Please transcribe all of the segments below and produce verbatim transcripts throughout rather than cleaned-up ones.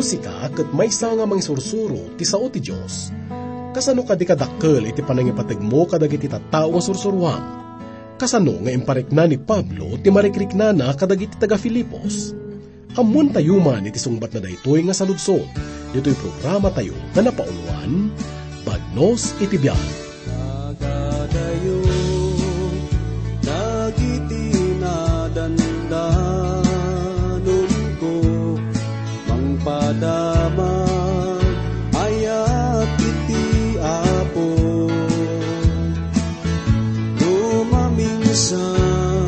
Sika ket maysa nga mangisursuro ti sao ti Dios. Kasano kadi kadakkel iti panangipategmo kadagiti tattao nga sursuroam? Kasano nga imparikna ni Pablo ti marikriknana kadagiti taga-Filipos? Ammoentayo man iti sungbatna daytoy nga saludsod, ditoy programatayo nga napauluan, Bagnos iti Biag. Agadayo dagiti nadandanonko, mangpadama ayat iti Apo. No maminsan,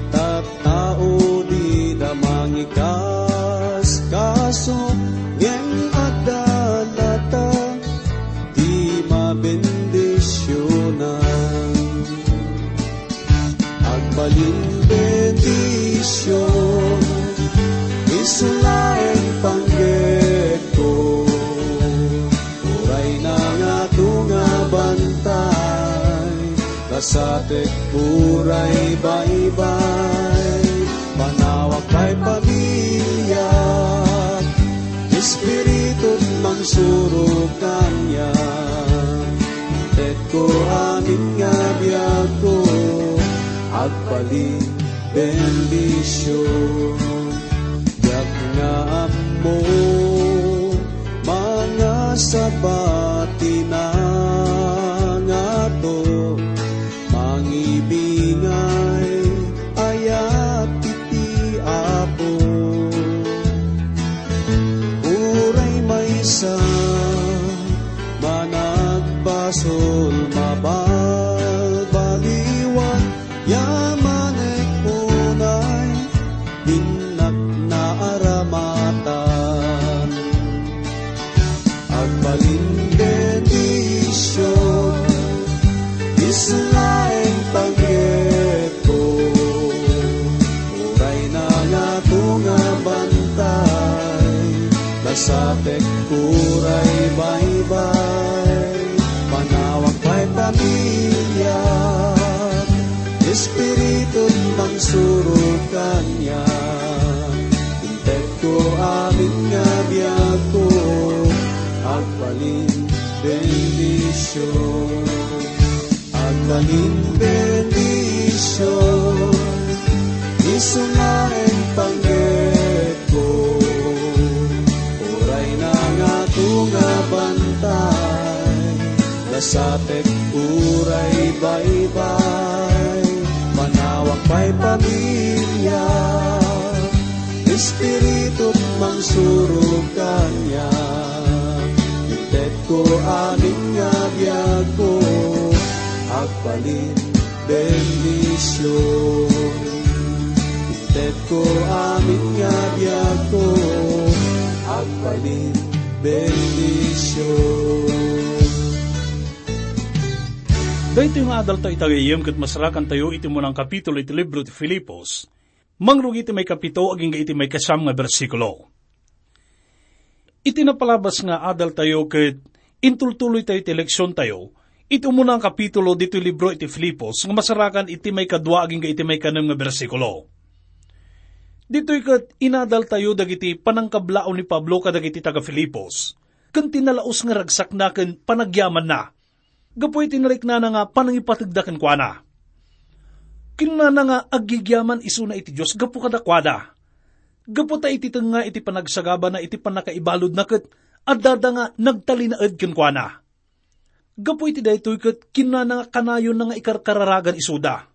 tattao dida mangikaskaso, ngem adda latta ti mabendisionan. Agbalin bendision, isu laeng panggepko. Uray nangato nga bantay, kasatek uray baybay. Panawak pay pamiliak, Espiritu mangsurok kaniak. Intetko amin nga biagko, agbalin bendision. Biag nga ammo, mangasaba ti nangato, mangibingay ayat iti Apo. Uray maysa managbasol, mabalbaliwan, yamanek unay, dinnak naaramatan. Agbalin bendision, isu laeng panggepko. Uray nangato nga bantay, kasatek uray baybay. Panawak pay pamiliak, Espiritu mangsurok kaniak. Intetko amin nga biagko, agbalin bendision. Agbalin bendision, isu nga panggepko. Uray nangato nga bantay, kasatek uray baybay. Panawak pay pamiliak, Espiritu mangsurok kaniak. Intetko amin nga biagko, agbalin bendision. Intetko amin nga biagko, agbalin bendision. Daytoy nga adaltayo ita gayyem ket masarakantayo iti munang kapitulo iti libro ti Filipos. Mangrugi iti maikapito agingga iti maikasiam nga bersikulo. Iti napalabas nga adaltayo ket intultuloytayo iti leksiontayo iti umuna nga kapitulo ditoy libro iti Filipos nga masarakan iti maikadua agingga iti maikanem nga bersikulo. Ditoy ket inadaltayo dagiti panangkablaw ni Pablo kadagiti taga-Filipos ken ti nalaus nga ragsakna ken panagyamanna. Gapu iti nariknana nga panangipategda kenkuana. Kinunana nga aggigyaman isuna iti Dios gapu kadakuada. Gapu ta iti tengnga iti panagsagabana iti pannakaibaludna ket addada nga nagtalinaed kenkuana. Gapu iti daytoy ket kinunana nga kanayonna nga ikarkararagan isuda.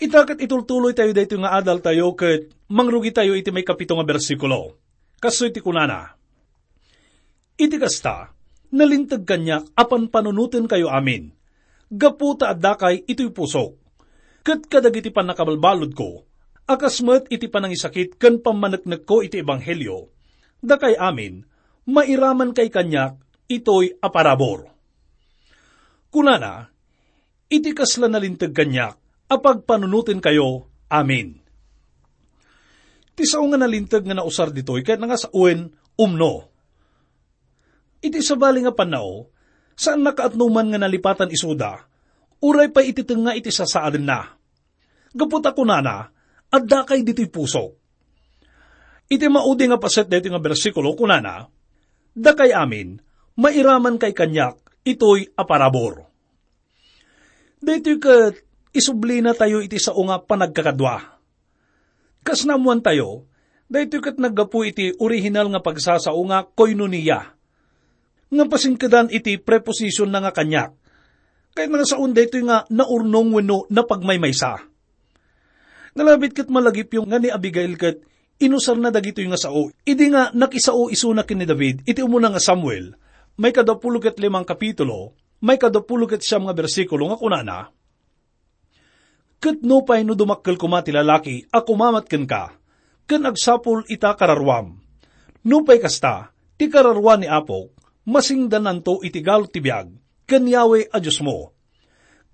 Ita ket itultuloytayo daytoy nga adaltayo ket mangrugitayo iti maikapito nga bersikulo. Kastoy ti kunana, Iti kasta, nalinteg kaniak a panpanunotenkayo amin, gapu ta addakay itoy pusok. Ket kadagiti pannakabalbaludko, a kas met iti panangisakit ken pammaneknekko iti ebanghelio, dakay amin, mairamankay kaniak itoy a parabur. Kunana, iti kasla nalinteg kaniak a pagpanunotenkayo amin. Ti sao nga nalinteg nga nausar ditoy ket nga sawen umno. Iti sabali nga pannao, saan nakaatnuman nga nalipatan isuda, uray pay iti tengnga iti sasaadenna. Gapu ta kunana, addakay ditoy pusok. Iti maudi nga paset daytoy nga bersikulo, kunana, "Dakay amin, mairaman kay kaniak itoy a parabur." Daytoy ket isublina tayo iti sao nga panagkakadua. Kas naammoan tayo, daytoy ket naggapu iti orihinal nga pagsasao nga koinonia, nga pasingkedan iti preposisyon na nga kaniak. Kayatna nga saon daytoy nga naurnong wenno napagmaymaysa. Nalabit ket malagipyo nga ni Abigail ket inusarna dagitoy nga sao idi nga nakisao isuna ken ni David iti umuna nga Samuel, maikadapulo ket limang kapitulo, maikadapulo ket siam nga bersikulo nga kunana, "Ket nupay no dumakkel koma ti lalaki a kumamat kenka, ken agsapul ita kararuam, nupay kasta, ti kararua ni Apok, masingdananto iti galot ti biag, ken Yahweh a Diosmo.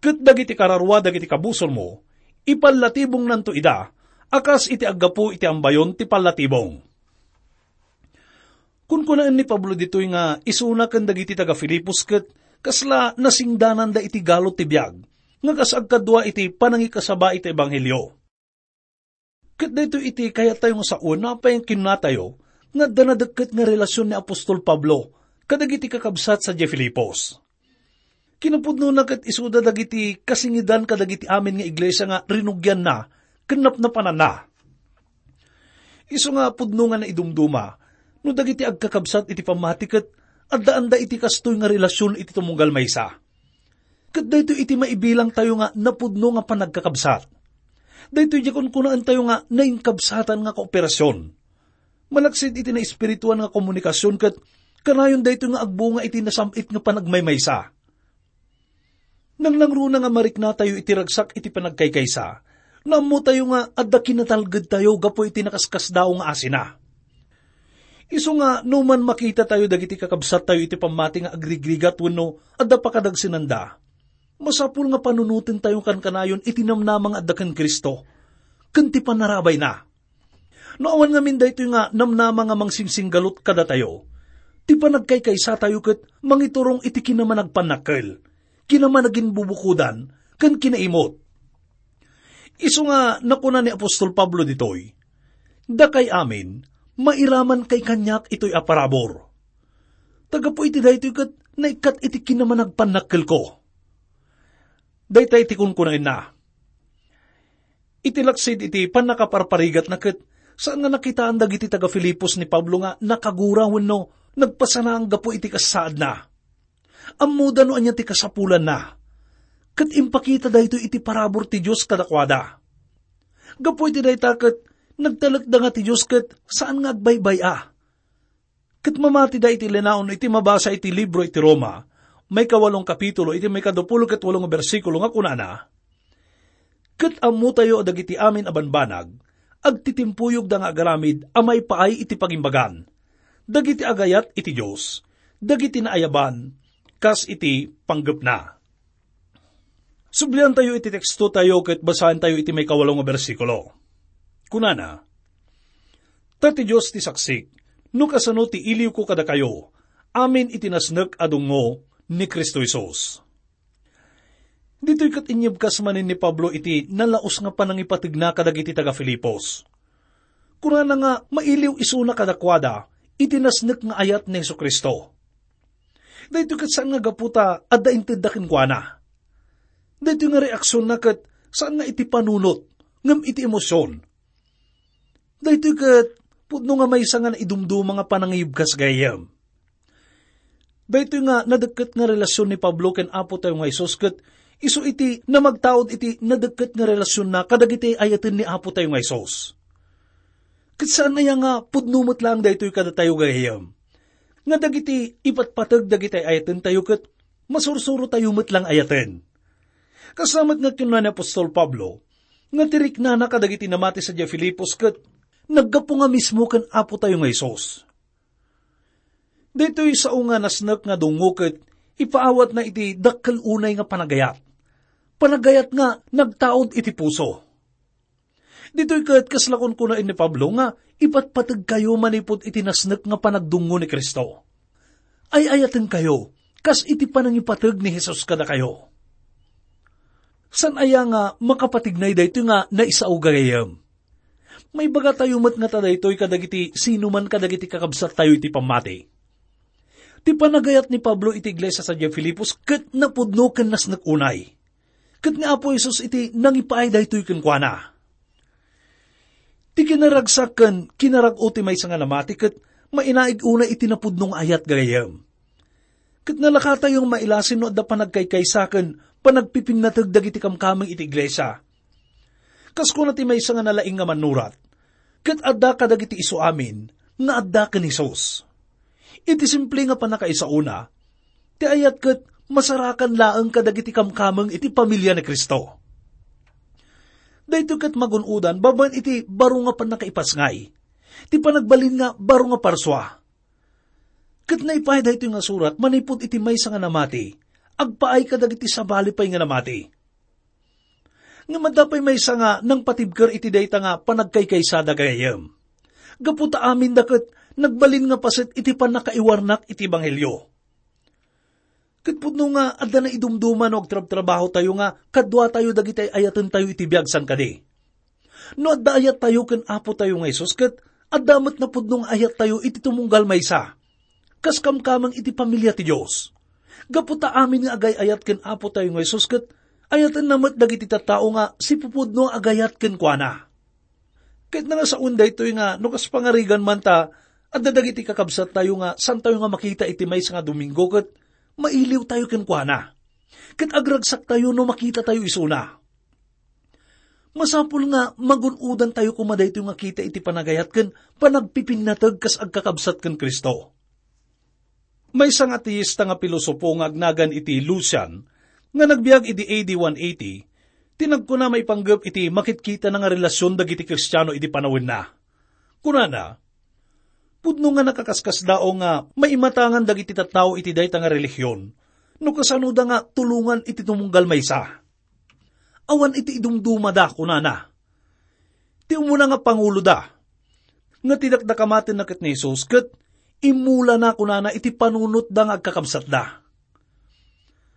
Ket dagiti kararua dagiti kabusormo, ipallatibongnanto ida, a kas iti aggapu iti ambayon ti pallatibong." Kunkunaen ni Pablo ditoy nga isuna ken dagiti taga-Filipos ket kasla nasingdananda iti galot ti biag, nga kas agkadua iti panangikasaba iti ebanghelio. Ket daytoy iti kayat tayo nga sawen, apay nga kinunatayo nga adda nadekket nga relasyon ni apostol Pablo kadagiti kakabsat sadiay Filipos. Kinapudnona ket isuda dagiti kasingidan kadagiti amin nga iglesia nga rinugianna ken napnapananna. Isu nga pudno nga naidumduma no dagiti agkakabsat iti pammati ket addaanda iti kastoy nga relasyon iti tumunggal maysa. Ket daytoy iti maibilang tayo nga napudno nga panagkakabsat. Daytoy diay kunkunaen tayo nga nainkabsatan nga kooperasyon. Malaksid iti naespirituan nga komunikasion ket kanayon daytoy nga agbunga iti nasam-it nga panagmaymaysa. Nangnangruna nga mariknatayo iti ragsak iti panagkaykaysa, naammotayo nga adda kinatalgedtayo gapu iti nakaskasdaaw nga asina. Isu nga no man makitatayo dagiti kakabsattayo iti pammati nga agrigrigat wenno adda pakadagsenanda, masapul nga panunotentayo kankanayon iti namnama nga adda ken Cristo ken ti panarabayna. No awan ngamin daytoy nga namnama nga mangsingsinggalut kadatayo, ti panagkaykaysa tayo ket mangiturong iti kinamanagpannakkel, kinamanaginbubukodan, ken kinaimot. Isu nga nakuna ni apostol Pablo ditoy, "Dakay amin, mairaman kay kaniak itoy a parabur." Tagapu iti daytoy ket naikkat iti kinamanagpannakkelko. Dayta iti kunkunaenna. Iti laksid iti pannakaparparigatna ket saan nga nakitaan dagiti taga-Filipos ni Pablo nga nakagura wenno nagpasanaang gapu iti kasaadna. Ammoda no ania ti kasapulanna. Ket impakita daytoy iti parabur ti Dios kadakuada. Gapu iti dayta ket nagtalekda nga ti Dios ket saan nga agbaybay-a. Ket mamatida iti linaon iti mabasa iti libro iti Roma, maikawalong kapitulo, iti maikadapulo ket walo nga bersikulo nga kunana, "Ket ammotayo a dagiti amin a banbanag, agtitimpuyogda nga agaramid a maipaay iti pagimbagan, dagiti agayat iti Dios, dagiti naayaban, kas iti panggepna." Subliantayo iti tekstotayo ket basaentayo iti maikawalo nga bersikulo. Kunana, "Ta ti Dios ti saksik, no kasano ti iliwko kadakayo, amin iti nasnek a dungngo ni Cristo Jesus." Ditoy ket inyebkas manen ni Pablo iti nalaus nga panangipategna kadagiti taga-Filipos. Kunana nga mailiw isuna kadakuada iti nasnek nga ayat ni Jesu-Cristo. Daytoy ket saan nga gapu ta adda intedda kenkuana. Daytoy nga reaksionna ket saan nga iti panunot, ngem iti emosion. Daytoy ket pudno nga maysa nga naidumduma nga panangiyebkas gayam. Daytoy nga nadekket nga relasyon ni Pablo ken Apo tayo nga Jesus ket isu iti namagtaud iti nadekket nga relasyonna kadagiti ayaten ni Apo tayo nga Jesus. Ket saan aya nga pudno met laeng daytoy kadatayo gayam, nga dagiti ipatpateg dagiti ayatentayo ket masursurotayo met laeng ayaten. Kasla met nga kinuna ni apostol Pablo, nga ti riknana kadagiti namati sadiay Filipos ket naggapu nga mismo ken Apo tayo nga Jesus. Daytoy sao nga nasnek nga dungngo ket ipaawatna iti dakkel unay nga panagayat. Panagayat nga nagtaud iti puso. Ditoy ket kasla kunkunaen ni Pablo nga ipatpategkayo manipud iti nasnek nga panagdungngo ni Cristo. Ay-ayatenkayo kas iti panangipateg ni Jesus kadakayo. Saan aya nga makapatignay daytoy nga naisao gayam? Maibagatayo met ngata daytoy kadagiti sinuman kadagiti kakabsattayo iti pammati. Ti panagayat ni Pablo iti iglesia sadiay Filipos ket napudno ken nasnek unay. Ket ni Apo Jesus iti nangipaay daytoy kenkuana. Ti kinaragsak ken kinarag-o ti maysa nga namati ket mainaig unay iti napudno nga ayat gagayyem. Ket nalakatayo nga mailasin no adda panagkaykaysa ken panagpipinnateg dagiti kamkameng iti iglesia. Kas kuna ti maysa nga nalaing nga mannurat, ket adda kadagiti isuamin nga adda ken Jesus. Iti simple nga pannakaisauna, ti ayat ket masarakan laeng kadagiti kamkameng iti pamilia ni Cristo. Daytoy ket magun-odan babaen iti baro nga pannakaipasngay, ti panagbalin nga baro nga parsua. Ket naipaay daytoy nga surat manipud iti maysa nga namati, agpaay kadagiti sabali pay nga namati. Ngem adda pay maysa nga nangpatibker iti dayta nga panagkaykaysada gayam. Gapu ta aminda ket nagbalin nga paset iti pannakaiwarnak iti ebanghelio. Ket pudno nga adda naidumduma no agtrabtrabahotayo nga kaduatayo dagiti ay-ayatentayo iti biag, saan kadi? No adda ayattayo ken Apotayo nga Jesus, ket adda met napudno nga ayattayo iti tumunggal maysa. Kas kamkameng iti pamilia ti Dios. Gapu ta amin nga agay-ayat ken Apotayo nga Jesus, ket ayatenna met dagiti tattao nga sipupudno nga agayat kenkuana. Ket nangasaon daytoy nga no kas pangarigan man ta adda dagiti kakabsattayo nga saantayo nga makita iti maysa nga Domingo ket mailiwtayo kenkuana. Ket agragsaktayo no makitatayo isuna. Masapul nga magun-odantayo koma daytoy nga kita iti panagayat ken panagpipinnateg kas agkakabsat ken Cristo. Maysa nga ateista nga pilosopo nga agnagan iti Lucian nga nagbiag idi A D one eighty, ti nagkuna maipanggep iti makitkitana nga relasion dagiti Kristiano idi panawenna. Kunana, pudno nga nakaskasdaaw nga maimatangan dagiti tattao iti dayta nga relihion no kasanoda nga tulongan iti tumunggal maysa. Awan iti idumdumada, kunana. Ti umuna nga panguloda, nga ti dakdakamatenna ket ni Jesus, ket immulana, kunana, iti panunotda nga agkakabsatda.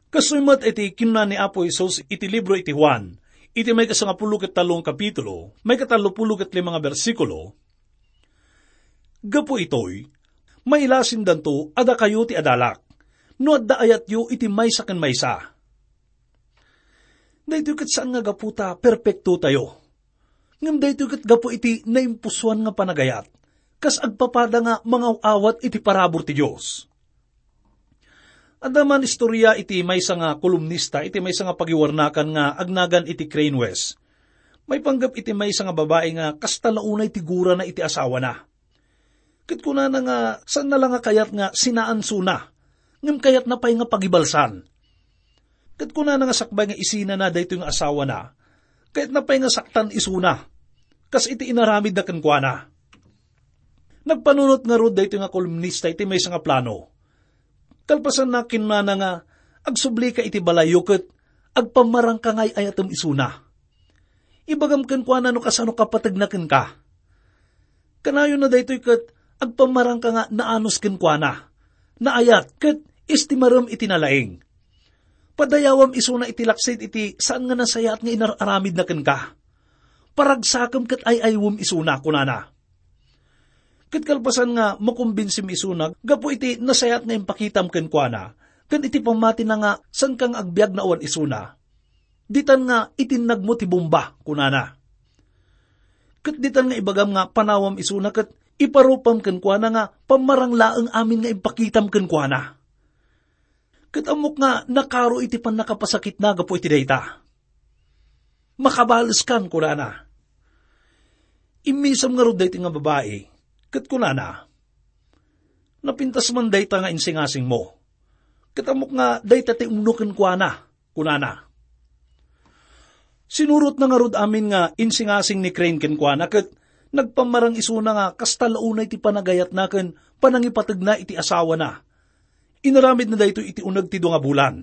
Kastoy met iti kinuna ni Apo Jesus iti libro iti Juan, iti maikasangapulo ket tallo nga kapitulo, maikatallopulo ket lima nga bersikulo, "Gapu itoy, mailasindanto a dakayo ti adalak, no adda ayatyo iti maysa ken maysa." Daytoy ket saan nga gapu ta perpektotayo. Ngem daytoy ket gapu iti naimpusoan nga panagayat, kas agpapada nga mangaw-awat iti parabur ti Dios. Adda man istoria iti maysa nga kolumnista iti maysa nga pagiwarnakan nga agnagan iti Crane West. Maipanggep iti maysa nga babai nga kasta la unay ti gurana iti asawana. Ket kunana nga saanna la nga kayat nga sinaansona, ngem kayatna pay nga pagibalsan. Ket kunana nga sakbay nga isinana daytoy nga asawana, kayatna pay nga saktan isuna, kas iti inaramidna kenkuana. Nagpanunot ngarud daytoy nga kolumnista iti maysa nga plano. Kalpasanna, kinunana nga, "Agsublika iti balayyo ket agpammarangka nga ay-ayatem isuna. Ibagam kenkuana no kasano kapategna kenka. Kanayonna daytoy ket agpammarangka nga naanus kenkuana, naayat, ket istimarem iti nalaing. Padayawam isuna iti laksid iti saan nga nasayaat nga inar-aramidna kenka. Paragsakem ket ay-aywem isuna," kunana. Ket kalpasan nga makumbinsim isuna gapu iti nasayaat nga impakitam kenkuana, ken iti pammatina nga saanka nga agbiag nga awan isuna, "Ditan nga itinnagmo ti bomba," kunana. Ket ditan nga ibagam nga panawam isuna ket iparupam kenkuana nga pammarang laeng amin nga impakitam kenkuana. Ket ammok nga nakaro iti pannakapasakitna gapu iti dayta. "Makabaleskan," kunana. Immisem ngarud daytoy nga babai, ket kunana, "Napintas man dayta nga insingasingmo. Ket ammok nga dayta ti umno kenkuana," kunana. Sinurotna ngarud amin nga insingasing ni Crane kenkuana, ket nagpammarang isuna nga kasta la unay ti panagayatna ken panangipategna iti asawana. Inaramidna daytoy iti uneg ti dua nga bulan.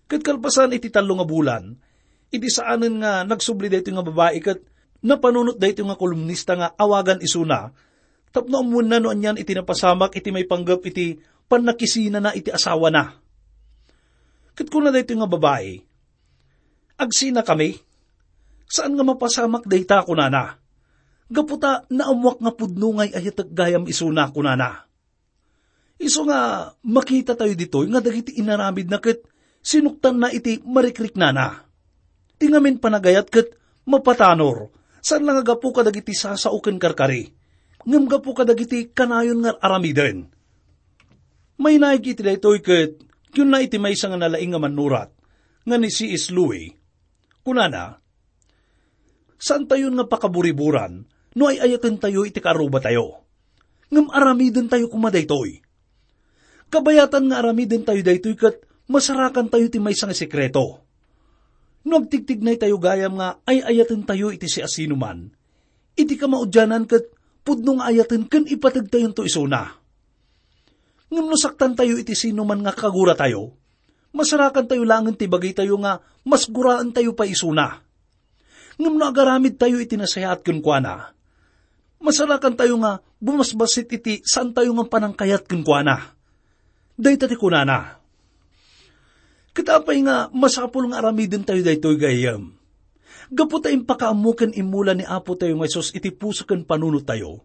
Ket kalpasan iti tallo nga bulan, idi saanen nga nagsubli daytoy nga babai ket napanunot daytoy nga kolumnista nga awagan isuna, tapno ammoenna no anian iti napasamak iti maipanggep iti pannakisinana iti asawana. Ket kuna daytoy nga babai, "Agsinakami? Saan nga mapasamak dayta," kunana. gapu ta naammoak nga pudno nga ay-ayatek gayam isuna," kunana. Isu nga makitatayo ditoy nga dagiti inaramidna ket sinuktanna iti marikriknana. Ti ngamin panagayat ket mapatanor, saan la nga gapu kadagiti sasao ken karkari, ngem gapu kadagiti kanayon nga aramiden. Mainaig iti daytoy ket kinuna iti maysa nga nalaing nga mannurat nga ni C S Lewis. Kunana, "Saantayon nga pakaburiburan no ay-ayatentayo iti kaarrubatayo. Ngem aramidentayo koma daytoy. Kabayatan nga aramidentayo daytoy ket masarakantayo ti maysa nga sekreto. No agtigtignaytayo gayam nga ay-ayatentayo iti siasinoman, iti kamaudianan ket pudno nga ayaten ken ipategtayonto isuna. Ngem no saktantayo iti sinoman nga kaguratayo, masarakantayo laengen ti bagitayo nga mas guraentayo pay isuna. Ngem no agaramidtayo iti nasayaat kenkuana, masarakantayo nga bumasbassit iti saantayo nga panangkayat kenkuana." Dayta ti kunana. Ket apay nga masapul nga aramidentayo daytoy, gayyem? Gapu ta impakaammo ken immula ni Apotayo nga Jesus iti puso ken panunottayo,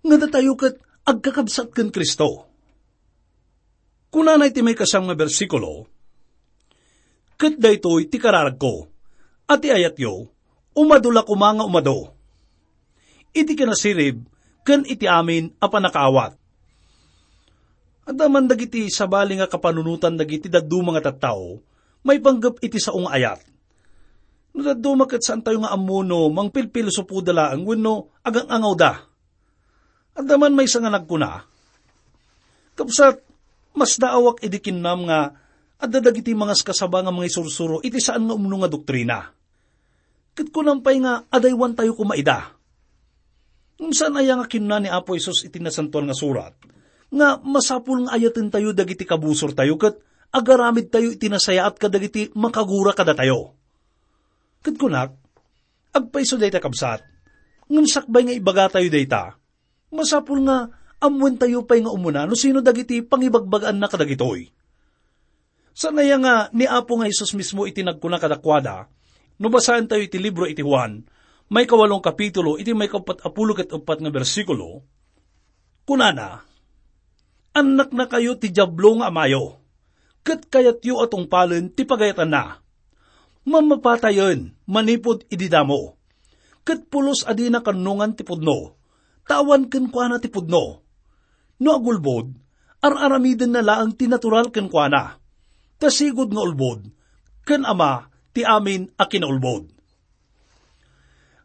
nga datayo ket agkakabsat ken Cristo. Kunana iti maikasiam nga bersikulo, "Ket daytoy ti kararagko, a ti ayatyo, umadu la koma nga umadu iti kinasirib ken iti amin a pannakaawat." Adda man dagiti sabali nga kapanunotan dagiti dadduma nga tattao maipanggep iti sao nga ayat. No dadduma ket saantayo nga ammo no mangpilpilosopoda laeng wenno agang-angawda. Adda man maysa nga nagkuna, "Kabsat, masdaawak idi kinnam nga adda dagiti mangaskasaba nga mangisursuro iti saan nga umno nga doktrina. Ket kunam pay nga adaywantayo koma ida." Ngem saan aya nga kinuna ni Apo Jesus iti Nasantoan nga Surat nga masapul nga ayatentayo dagiti kabusortayo ket agaramidtayo iti nasayaat kadagiti makagura kadatayo? Ket kunak, agpayso dayta, kabsat. Ngem sakbay nga ibagatayo dayta, masapul nga ammoentayo pay nga umuna no sino dagiti pangibagbagaanna kadagitoy. Saan aya nga ni Apo nga Jesus mismo iti nagkuna kadakuada, no basaentayo iti libro iti Juan, maikawalong kapitulo, iti maikappat a pulo ket uppat nga bersikulo, kunana, "Annaknakayo ti Diablo nga amayo, ket kayatyo a tungpalen ti pagayatanna. Mammapatayen manipud idi damo, ket pulos a dina kannongan ti pudno, ta awan kenkuana ti pudno. No agulbod, ar-aramidenna laeng ti natural kenkuana, ta sigud nga ulbod, ken ama ti amin a kinaulbod."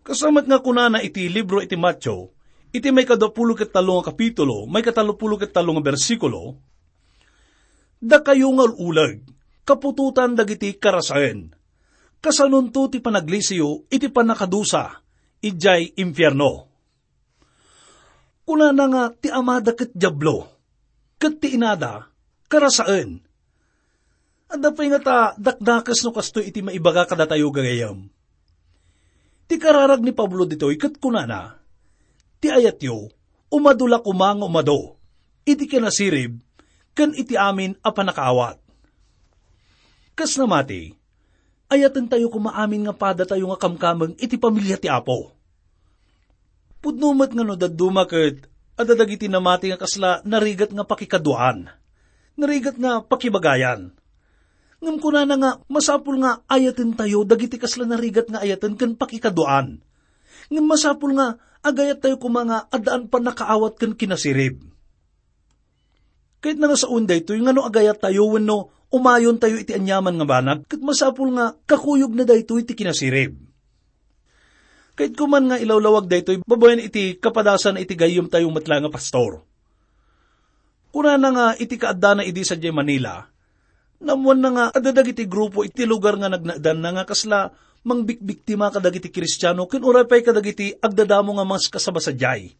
Kasla met nga kunana iti libro iti Mateo, iti maikadapulo ket tallo nga kapitulo, maikatallopulo ket tallo nga bersikulo, "Dakayo nga ul-uleg, kaputotan dagiti karasaen. Kasanonto ti panaglisiyo iti pannakadusa idiay infierno." Kunana nga ti amada ket Diablo, ket ti inada, karasaen. Adda pay ngata dakdakes no kastoy iti maibaga kadatayo, gagayyem. Ti kararag ni Pablo ditoy ket kunana, "Ti ayatyo, umadu la koma nga umadu iti kinasirib ken iti amin a pannakaawat." Kas namati, ayatentayo koma amin nga padatayo nga kamkameng iti pamilia ti Apo. Pudno met nga no dadduma ket adda dagiti namati nga kasla narigat nga pakikaduaan, narigat nga pakibagayan. Ngem kunana nga masapul nga ayatentayo dagiti kasla narigat nga ayaten ken pakikaduaan. Ngem masapul nga agayattayo koma nga addaan pannakaawat ken kinasirib. Kayatna nga saoen daytoy nga no agayattayo wenno umayontayo iti aniaman nga banag, ket masapul nga kakuyogna daytoy ti kinasirib. Kayatko man nga ilawlawag daytoy babaen iti kapadasan iti gayyemtayo met la nga pastor. Kunana nga iti kaaddana idi sadiay Manila, naammoanna nga adda dagiti grupo iti lugar nga nagnaedanna nga kasla mangbikbiktima kadagiti Kristiano ken uray pay kadagiti agdadamo nga maskasaba sadiay.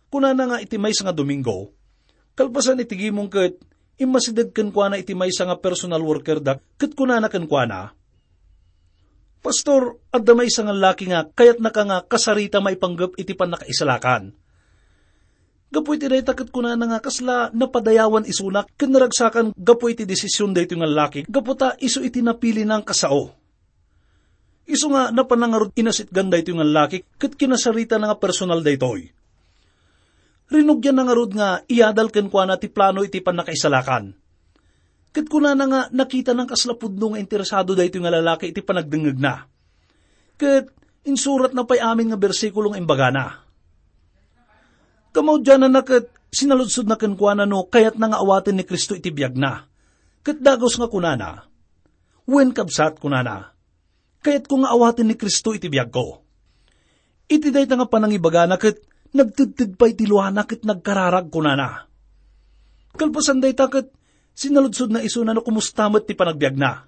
Kunana nga iti maysa nga Domingo, kalpasan iti gimong ket immasideg kenkuana iti maysa nga personal worker da ket kunana kenkuana, "Pastor, adda maysa nga laki nga kayatnaka nga kasarita maipanggep iti pannakaisalakan. Gapu iti dayta ket kunana nga kasla napadayawan isuna ken naragsakan gapu iti desisyon daytoy nga laki gapu ta isu iti napilina nga kasao." Isu nga napannangarud inasitgan daytoy nga laki ket kinasaritana nga personal daytoy. Rinugianna ngarud nga iyadal kenkuana ti plano iti pannakaisalakan. Ket kunana nga nakitana kasla pudno nga interesado daytoy nga lalaki iti panagdengngegna. Ket insuratna pay amin nga bersikulo nga imbagana. Kamaudiananna ket sinaludsodna kenkuana no kayatna nga awaten ni Cristo iti biagna. Ket dagus nga kunana, "Wen, kabsat," kunana, "kayatko nga awaten ni Cristo iti biagko." Iti dayta nga panangibagana ket nagtedted pay ti luana ket nagkararag kunana. Kalpasan dayta ket sinaludsodna isuna no kumusta met ti panagbiagna.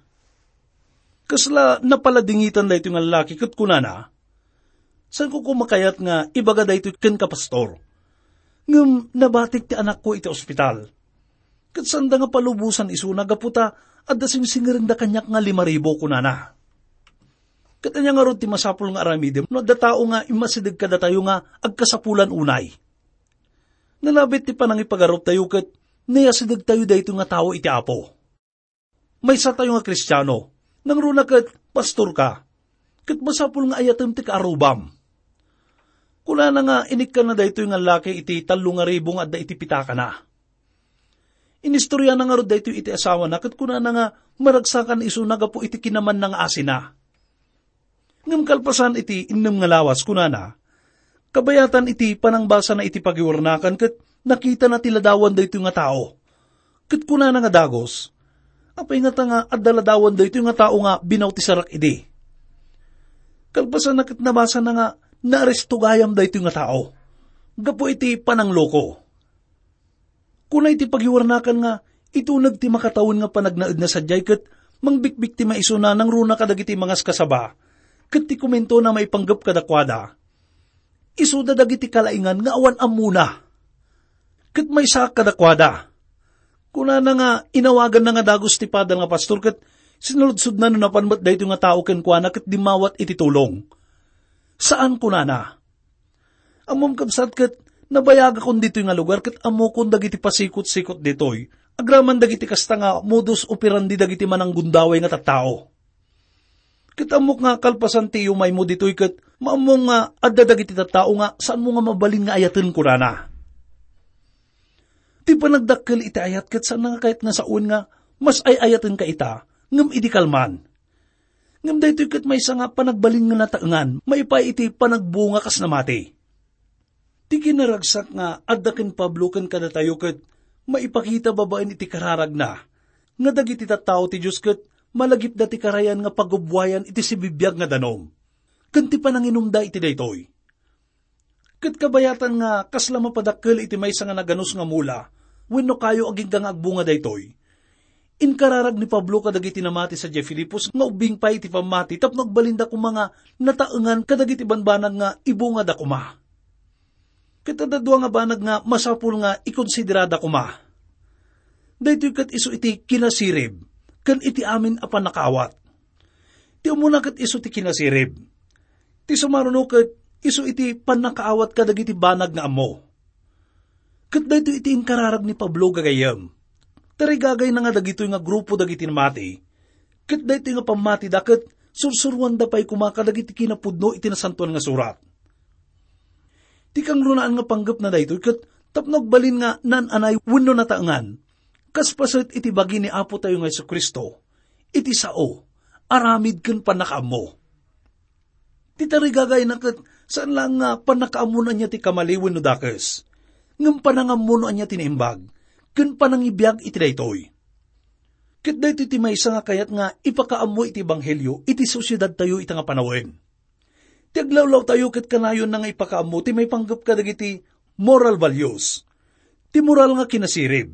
Kasla napaladingitan daytoy nga laki ket kunana, "Saanko koma kayat nga ibaga daytoy kenka, Pastor. Ngem nabatik ti anakko iti ospital. Ket saanda nga palubosan isuna gapu ta adda singsingerengda kaniak nga lima ribu," kunana. Ket ania ngarud ti masapul nga aramidem no adda tao nga immasideg kadatayo nga agkasapulan unay? Nalabit ti panangipagaruptayo ket nayasidegtayo daytoy nga tao iti Apo. Maysatayo nga Kristiano, nangruna ket pastor ka, ket masapul nga ayatem ti kaarrubam. Kunana nga inikkanna daytoy nga laki iti tallo nga ribu nga adda iti pitakana. Inistoriana ngarud daytoy iti asawana ket kunana nga maragsakan isuna gapu iti kinamanna nga asina. Ngem kalpasan iti innem nga lawas, kunana, kabayatan iti panangbasana iti pagiwarnakan ket nakitana ti ladawan daytoy nga tao. Ket kunana nga dagus, "Apay ngata nga adda ladawan daytoy nga tao nga binautisarak idi?" Kalpasanna ket nabasana nga naaresto gayam daytoy nga tao gapu iti panangloko. Kuna iti pagiwarnakan nga ituneg ti makatawen nga panagnaedna sadiay ket mangbikbiktima isuna nangruna kadagiti mangaskasaba, ket ti komentona maipanggep kadakuada, isuda dagiti kalaingan nga awan ammona. Ket maysaak kadakuada. Kunana nga inawaganna nga dagus ti padana nga pastor ket sinaludsodna no napan met daytoy nga tao kenkuana ket dimmawat iti tulong. "Saan," kunana. Ammom, kabsat, ket nabayagakon ditoy nga lugar ket ammokon dagiti pasikot-sikot ditoy, agraman dagiti kasta nga modus operandi dagiti mananggundaway nga tattao. Ket ammok nga kalpasan ti iyumaymo ditoy ket maammo nga adda dagiti tattao nga saanmo nga mabalin nga ayaten, kunana. Ti panagdakkel iti ayat ket saan nga kayat nga sawen nga mas ay-ayatenka ita, ngem idi kalman. Ngem daytoy ket maysa nga panagbalin nga nataengan maipaay iti panagbunga kas namati. Ti kinaragsak nga adda ken Pablo ken kadatayo ket maipakita babaen iti kararagna nga dagiti tattao ti Dios ket malagipda ti karayan nga pagubbuayan iti sibibiag nga danum ken ti pananginumda iti daytoy. Ket kabayatan nga kasla mapadakkel iti maysa nga naganus nga mula wenno kayo agingga nga agbunga daytoy, inkararag ni Pablo kadagiti namati sadiay Filipos nga ubbing pay iti pammati tapno agbalinda koma nga nataengan kadagiti banbanag nga ibungada koma. Ket adda dua nga banag nga masapul nga ikonsiderada koma. Daytoy ket isu iti kinasirib ken iti amin a pannakaawat. Ti umuna ket isu ti kinasirib. Ti sumaruno ket isu iti pannakaawat kadagiti banag nga ammo. Ket daytoy iti inkararag ni Pablo, gagayyem. Tarigagayna nga dagitoy nga grupo dagiti namati, ket daytoy nga pammatida ket sursuroanda pay koma kadagiti kinapudno iti Nasantoan nga Surat. Ti kangrunaan nga panggepna daytoy ket tapno agbalin nga naan-anay wenno nataengan, kas paset iti bagi ni Apotayo nga Jesu-Cristo, iti sao, aramid ken pannakaammo. Ti tarigagayna ket saan laeng nga pannakaammo no ania ti kamali wenno dakes, ngem panangammo no ania ti naimbag, ken panangibiag iti daytoy. Ket daytoy ti maysa nga kayat nga ipakaammo iti ebanghelio iti sosiedadtayo ita nga panawen. Ti aglawlawtayo ket kanayonna nga ipakaammo ti maipanggep kadagiti moral values, ti moral nga kinasirib,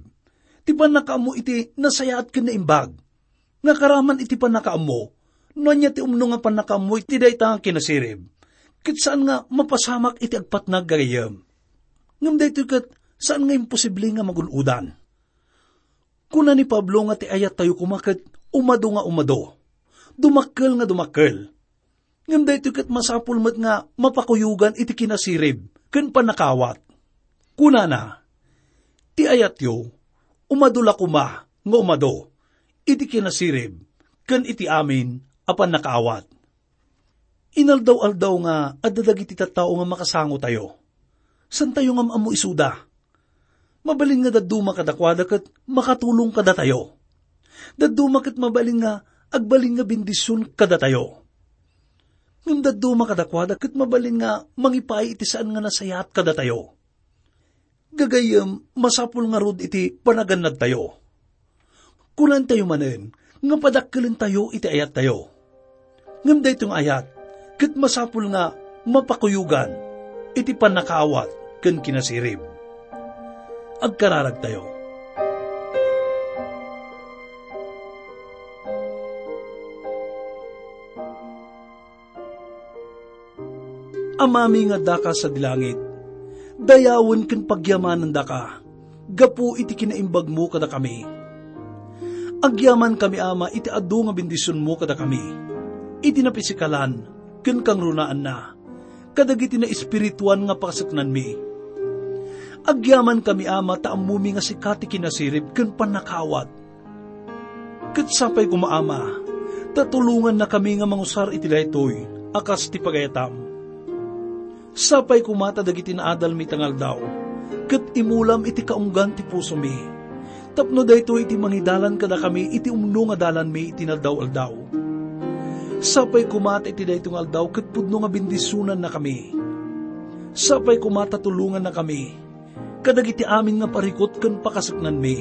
ti pannakaammo iti nasayaat ken naimbag, nga karaman iti pannakaammo, no ania ti umno nga pannakaammo iti dayta nga kinasirib, ket saan nga mapasamak iti agpatnag, gagayyem. Ngem daytoy ket saan nga imposible nga magun-odan. Kuna ni Pablo nga ti ayattayo koma ket umado nga umado, dumakkel nga dumakkel. Ngem daytoy ket masapul met nga mapakuyogan iti kinasirib ken pannakaawat. Kunana, "Ti ayatyo, umado la koma nga umado iti kinasirib ken iti amin a pannakaawat." Inaldaw-aldaw nga adda dagiti tattao nga makasangotayo. Santayo nga am-ammo isuda. Mabalin nga dadduma kadakuada ket makatulong kadatayo. Dadduma ket mabalin nga agbalin nga bendision kadatayo. Ngem dadduma kadakuada ket mabalin nga mangipaay iti saan nga nasayaat kadatayo. Gagayyem, masapul ngarud iti panagannadtayo. Kunantayo manen nga padakkelentayo iti ayattayo. Ngem daytoy nga ayat ket masapul nga mapakuyogan iti pannakaawat ken kinasirib. Agkararagtayo. Amami nga addaka sadi langit, dayawen ken pagyamanandaka gapu iti kinaimbagmo kadakami. Agyamankami, Ama, iti adu nga bendisionmo kadakami, iti napisikalan ken kangrunaanna, kadagiti naespirituan nga pakasaknanmi. Agyamankami, Ama, ta ammomi nga sika ti kinasirib ken pannakaawat. Ket sapay koma, Ama, ta tulongannakami nga mangusar iti daytoy a kas ti pagayatam. Sapay koma ta dagiti naadalmi ita nga aldaw ket imulam iti kaunggan ti pusomi, tapno daytoy ti mangidalan kadakami iti umno nga dalanmi iti inaldaw-aldaw. Sapay koma ta iti daytoy nga aldaw ket pudno nga bendisionannakami. Sapay koma ta tulongannakami kadagiti amin nga parikut ken pakasaknanmi.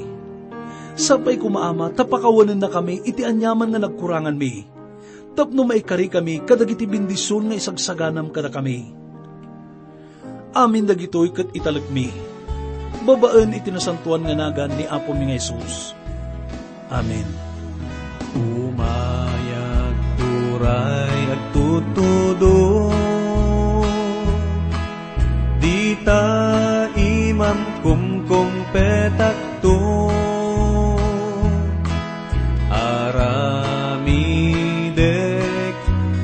Sapay koma, Ama, ta pakawanennakami iti aniaman nga nagkuranganmi, tapno maikarikami kadagiti bendision nga isagsaganam kadakami. Amin dagitoy ket italekmi babaen iti nasantoan nga nagan ni Apomi nga Jesus. Amen. Umayag turay agtutudong, dita imam kumkumpetakto. Aramidek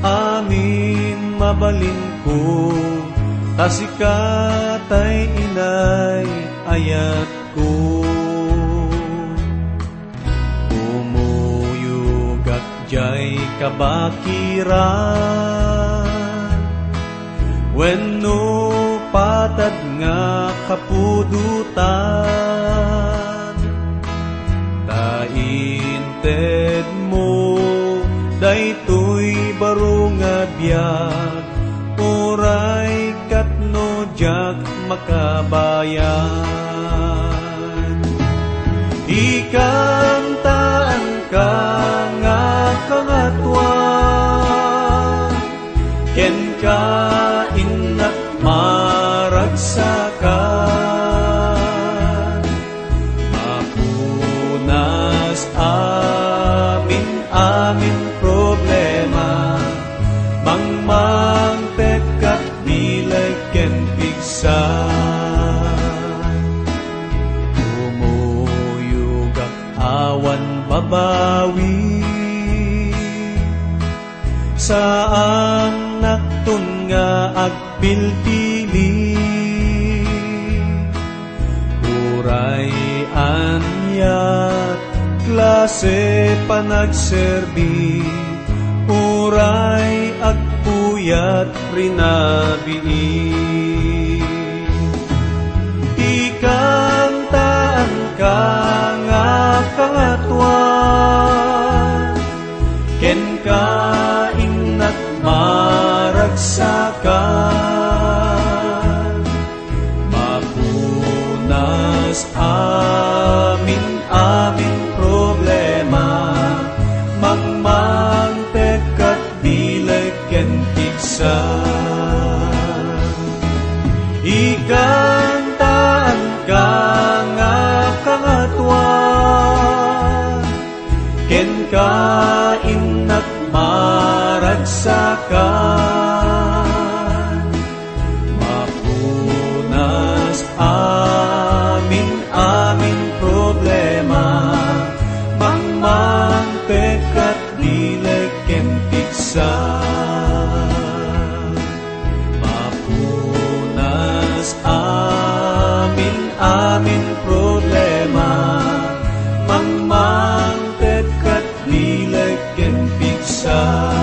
amin mabalinko, ta sika tay inay ayatko. Kumuyogak diay kabakiran wenno patad nga kapudotan, ta intedmo daytoy baro nga biag, uray ket no diak makabayag. Ikantaanka nga Kangatoan, kenka innak maragsakan. Mapunas amin, amin problema, mangmangpet kat bileg ken pigsa. Kumuyogak awan babawi, saannakton nga agpilpili. Uray ania klase panagserbi, uray agpuyat rinabii. Ikantaanka nga Kangatoan, kenka innak maragsakan. Mapunas amin, amin problema, mangmangpet kat bileg ken pigsa. Ikantaanka nga Kangatoan, kenka innak maragsakan. Mapunas amin, amin problema, mangmangpet kat bileg ken pigsa. Mapunas amin, amin problema, mangmangpet kat bileg ken pigsa.